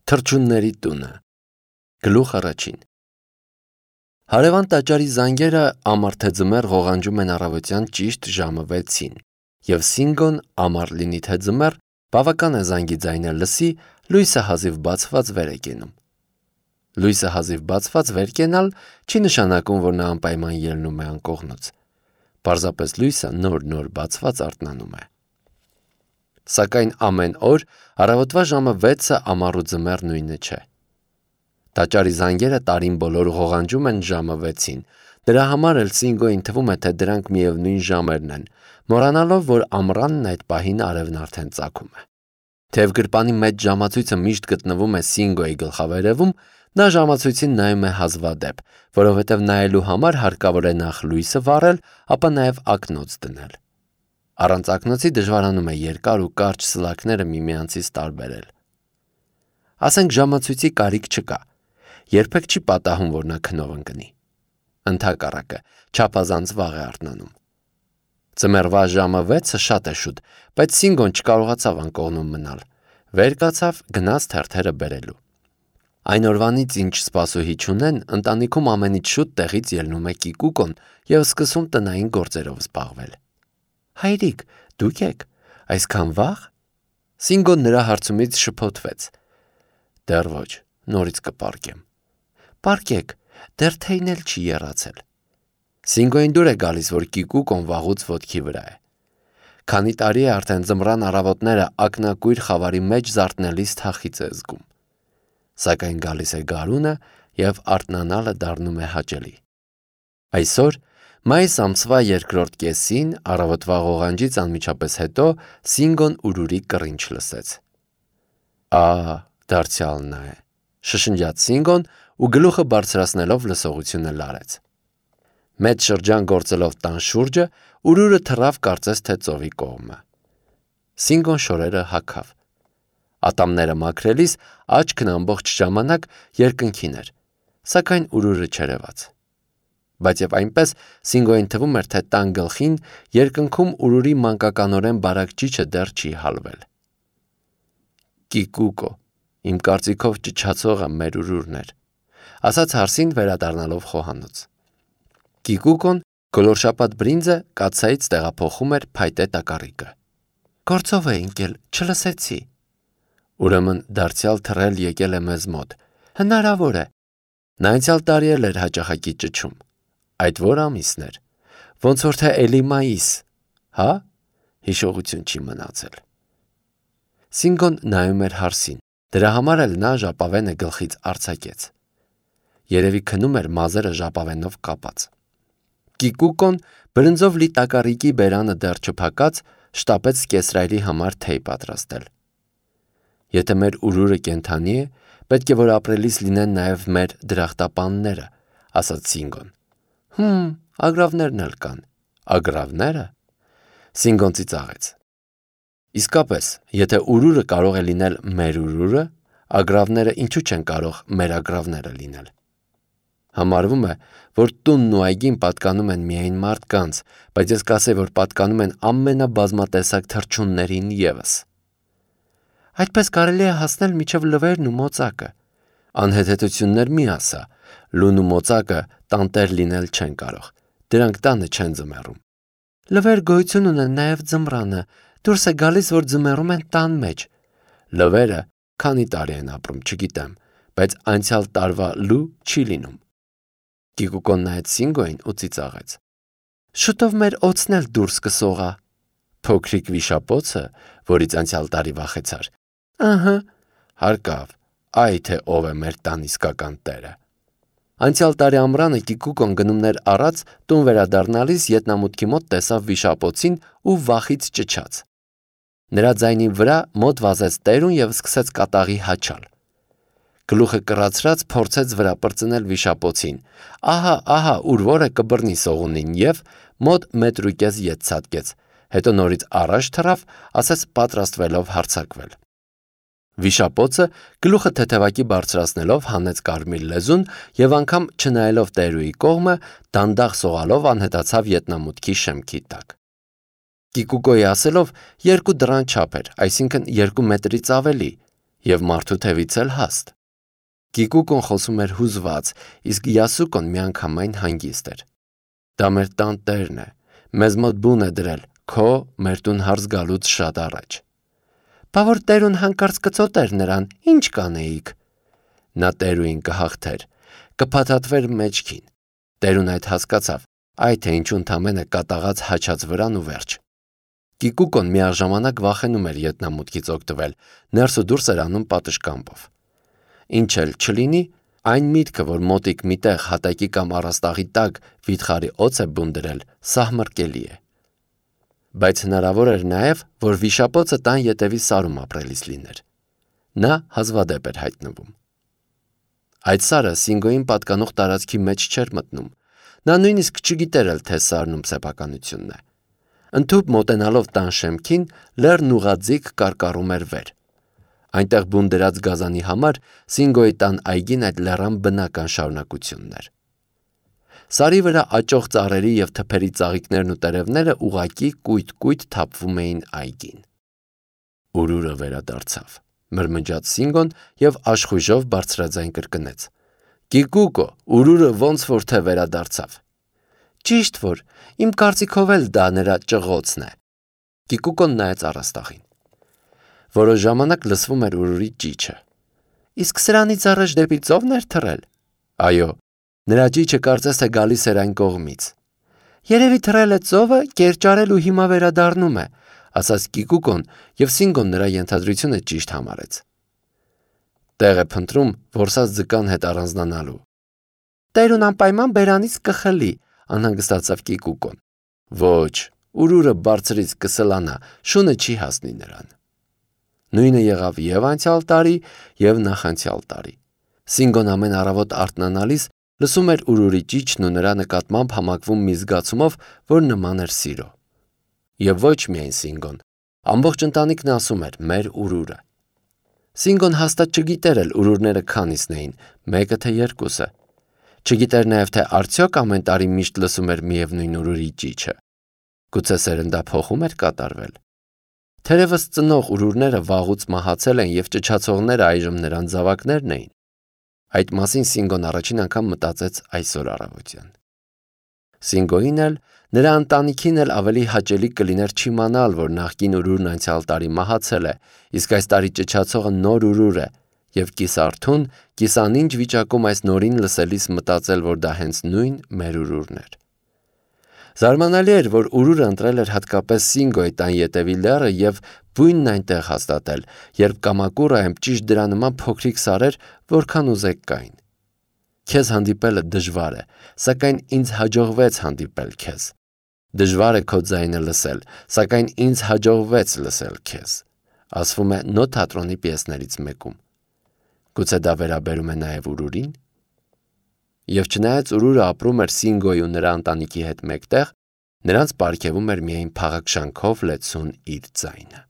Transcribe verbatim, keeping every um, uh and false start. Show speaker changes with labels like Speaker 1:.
Speaker 1: Թռչունների տունը։ Գլուխ առաջին։ Հարևան տաճարի զանգերը ամառ թե ձմեռ ղողանջում են առավոտյան ճիշտ ժամը վեցին, և Սինգոն ամառ լինի թե ձմեռ բավական է զանգի ձայնը լսի, լույսը հազիվ բացված վեր է կենում։ Լույսը հազիվ բացված վեր կենալ չի նշանակում, որ նա անպայման ելնում է անկողնուց։ Պարզապես լույսը նոր-նոր բացված արթնանում է։ Սակայն ամեն օր առավոտվա ժամը վեցը ամառ ու ձմեռ նույնը չէ։ Տաճարի զանգերը տարին բոլոր ղողանջում են ժամը վեցին, դրա համար էլ Սինգոյին թվում է, թե դրանք միևնույն ժամերն են, մոռանալով, որ ամռանն այդ պահին արևն արդեն ծագում է։ Թեև գրպանի մեջ ժամացույցը միշտ գտնվում է Սինգոյի գլխավերևում, նա ժամացույցին նայում է հազվադեպ, որովհետև նայելու համար հարկավոր է նախ լույսը վառել, ապա նաև ակնոց դնել։ Առանց ակնոցի դժվարանում է երկար ու կարճ սլաքները միմյանցից տարբերել։ Ասենք ժամացույցի կարիք չկա, երբեք չի պատահում, որ նա քնով ընկնի։ Ընդհակառակը, չափազանց վաղ է արթնանում։ Ձմեռվա ժամը վեցը շատ է շուտ, բայց Սինգոն չկարողացավ անկողնում մնալ։ Վեր կացավ, գնաց թերթերը բերելու։ Այն օրվանից, ինչ սպասուհի չունեն, ընտանիքում ամենից շուտ տեղից ելնում է Կիկուկոն և սկսում տնային գործերով զբաղվել։ Հայրիկ, դուք եք, այսքան վաղ։ Սինգոն նրա հարցումից շփոթվեց։ Դեռ ոչ, նորից կպարկեմ։ Պարկեք, դեռ թեյն էլ չի եռացել։ Սինգոյին դուր է գալիս, որ Կիկուկոն վաղուց ոտքի վրա է։ Քանի տարի է արդեն ձմռան առավոտները ակնակույր խավարի մեջ զարթնելիս թախիծ է զգում։ Սակայն գալիս է գարունը և արթնանալը դառնում է հաճելի։ Այսօր մայիս ամսվա երկրորդ կեսին առավոտվա ղողանջից անմիջապես հետո Սինգոն ուրուրի կռինչ լսեց։ Ահա, դարձյալ նա է, շշնջաց Սինգոն ու գլուխը բարձրացնելով լսողությունը լարեց։ Մեծ շրջան գործելով տան շուրջը, ուրուրը թռավ կարծես թե ծովի կողմը։ Սինգոն շորերը հագավ։ Ատամները մաքրելիս աչքն ամբողջ ժամանակ երկնքին էր, սակայն ուրուրը չերևաց։ Բայց և այնպես Սինգոյին թվում էր, թե տան գլխին երկնքում ուրուրի մանկականորեն բարակ ճիչը դեռ չի հալվել։ Կիկուկո, իմ կարծիքով ճչացողը մեր ուրուրն էր, ասաց հարսին վերադառնալով խոհանոց։ Կիկուկոն գոլորշապատ բրինձը կաթսայից տեղափոխում էր փայտե տակառիկը։ Գործով է ընկել, չլսեցի։ Ուրեմն դարձյալ թռել եկել է մեզ մոտ։ Հնարավոր է։ Նա անցյալ տարի էլ էր հաճախակի ճչում։ Այդ որ ամիսն էր։ Ոնց որ թե էլի մայիս, հա՞։ Հիշողություն չի մնացել։ Սինգոն նայում էր հարսին։ Դրա համար էլ նա ժապավենը գլխից արձակեց։ Երևի քնում էր մազերը ժապավենով կապած։ Կիկուկոն բրնձով լի տակառիկի բերանը դեռ չփակած շտապեց կեսրայրի համար թեյ պատրաստել։ Եթե մեր ուրուրը կենդանի է, պետք է որ ապրելիս լինեն նաև մեր դրախտապանները, ասաց Սինգոն։ Հմ, ագռավներն էլ կան։ Ագռավնե՞րը։ Սինգոն ծիծաղեց։ Իսկապես, եթե ուրուրը կարող է լինել մեր ուրուրը, ագռավները ինչու չեն կարող մեր ագռավները լինել։ Համարվում է, որ տունն ու այգին պատկանում են միայն մարդկանց, բայց ես կասեի, որ պատկանում են ամենաբազմատեսակ թռչուններին ևս։ Այդպես կարելի է հասնել մինչև լվերն ու մոծակը։ Անհեթեթություններ մի ասա, լուն ու մոծակը տանտեր լինել չեն կարող, դրանք տանը չեն ձմեռում։ Լվեր գոյություն ունեն նաև ձմռանը, դուրս է գալիս, որ ձմեռում են տան մեջ։ Լվերը քանի տարի են ապրում, չգիտեմ, բայց անցյալ տարվա լու չի լինում։ Կիկուկոն նայեց Սինգոյին ու ծիծաղեց։ Շուտով մեր օձն էլ դուրս կսողա։ Փոքրիկ վիշապոցը, որից անցյալ տարի վախեցար։ Ահա, հարկավ, այ թե ով է մեր տան իսկական տերը։ Անցյալ տարի ամռանը Կիկուկոն գնումներ առած տուն վերադառնալիս ետնամուտքի մոտ տեսավ վիշապոցին ու վախից ճչաց։ Նրա ձայնի վրա մոտ վազեց տերուն և սկսեց կատաղի հաչալ։ Գլուխը կռացրած փորձեց վրա պրծնել վիշապոցին։ Ահա, ահա, ուր որը կբռնի սողունին և մոտ մետր ու կես ետ ցատկեց, հետո նորից առաջ թռավ, ասես պատրաստվելով հարձակվել։ Վիշապոցը գլուխը թեթևակի բարձրացնելով հանեց կարմիր լեզուն և անգամ չնայելով տերուի կողմը, դանդաղ սողալով անհետացավ ետնամուտքի շեմքի տակ։ Կիկուկոյի ասելով երկու դռան չափ էր, այսինքն երկու մետրից ավելի, և մարդու թևից էլ հաստ։ Կիկուկոն խոսում էր հուզված, իսկ Յասուկոն միանգամայն հանգիստ էր։ Դա մեր տան տերն է, մեզ մոտ բուն է դրել, քո մեր տուն հարս գալուց շատ առաջ։ Բա որ տերուն հանկարծ կծոտեր նրան, ինչ կանեիք։ Նա տերուին կհաղթեր, կփաթաթվեր մեջքին։ Տերուն այդ հասկացավ, այ թե ինչու ընդամենը կատաղած հաչած վրան ու վերջ։ Կիկուկոն միաժամանակ վախենում էր ետնամուտքից օգտվել, ներս ու դուրս էր անում պատշգամբով։ Ինչ էլ չլինի, այն միտքը, որ մոտիկ միտեղ հատակի կամ առաստաղի տակ վիթխարի օձ է բուն դրել, սահմռկելի է։ Բայց հնարավոր էր նաև, որ վիշապոցը տան ետևի սարում ապրելիս լիներ։ Նա հազվադեպ էր հայտնվում։ Այդ սարը Սինգոյին պատկանող տարածքի մեջ չէր մտնում։ Նա նույնիսկ չգիտեր էլ, թե սարն ում սեփականությունն է։ Ընդհուպ մոտենալով տան շեմքին, լեռն ուղղաձիգ կարկառում էր վեր։ Այնտեղ բուն դրած գազանի համար Սինգոյի տան այգին այդ լեռան բնական շարունակությունն էր։ Սարի վրա աճող ծառերի և թփերի ծաղիկներն ու տերևները ուղղակի կույտ-կույտ թափվում էին այգին։ Ուրուրը վերադարձավ, մրմնջաց Սինգոն և աշխույժով բարձրաձայն կրկնեց. Կիկուկո, ուրուրը ոնց որ թե վերադարձավ։ Ճիշտ որ, իմ կարծիքով էլ դա նրա ճղոցն է։ Կիկուկոն նայեց առաստաղին։ Որոշ ժամանակ լսվում էր ուրուրի ճիչը։ Իսկ սրանից առաջ դեպի ծովն էր թռել։ Այո, նրա ճիչը կարծես թե գալիս էր այն կողմից։ Երևի թռել է ծովը, կերճարել ու հիմա վերադառնում է, ասաց Կիկուկոն, և Սինգոն նրա ենթադրությունը ճիշտ համարեց։ Տեղ է փնտրում որսած ձկան հետ առանձնանալու։ Տերուն անպայման բերանից կխլի, անհանգստացավ Կիկուկոն։ Ոչ, ուրուրը բարձրից կսլանա, շունը չի հասնի նրան։ Նույնը եղավ և անցյալ տարի, և նախանցյալ տարի։ Սինգոն ամեն առավոտ արթնանալիս լսում էր ուրուրի ճիչն ու նրա նկատմամբ համակվում մի զգացումով, որ նման էր սիրո։ Եվ ոչ միայն Սինգոն, ամբողջ ընտանիքն ասում էր մեր ուրուրը։ Սինգոն հաստատ չգիտեր էլ ուրուրները քանիսն էին, մեկը թե երկուսը։ Չգիտեր նաև, թե արդյոք ամեն տարի միշտ լսում էր միևնույն ուրուրի ճիչը։ Գուցե սերնդափոխում էր կատարվել։ Թերևս ծնող ուրուրները վաղուց մահացել են և ճչացողները այժմ նրանց զավակներն էին։ Այդ մասին Սինգոն առաջին անգամ մտածեց այսօր առավոտյան։ Սինգոյին էլ, նրա ընտանիքին էլ ավելի հաճելի կլիներ չիմանալ, որ նախկին ուրուրն անցյալ տարի մահացել է, իսկ այս տարի ճչացողը նոր ուրուր է, և կիսարթուն, կիսանինջ վիճակում այս նորին լսելիս մտածել, որ դա հենց նույն մեր ուրուրն էր։ Զարմանալի էր, որ ուրուրը ընտրել էր հատկապես Սինգոյի տան ետևի լեռը և բույնն այնտեղ հաստատել, երբ կամակուռը այմ ճիշտ դրա նման փոքրիկ սարեր, որքան ուզեք կային։ Քեզ հանդիպելը դժվար է, սակայն ինձ հաջողվեց հանդիպել քեզ։ Դժվար է քո ձայնը լսել, սակայն ինձ հաջողվեց լսել քեզ, ասվում է Նո թատրոնի պիեսներից մեկում։ Գուցե դա վերաբերում է նաև ուրուրին։ Եվ չնայած ուրուրը ապրում էր Սինգոյի ու նրա ընտանիքի հետ մեկտեղ, նրանց պարգևում էր միայն փաղաքշանքով լեցուն իր ձայնը։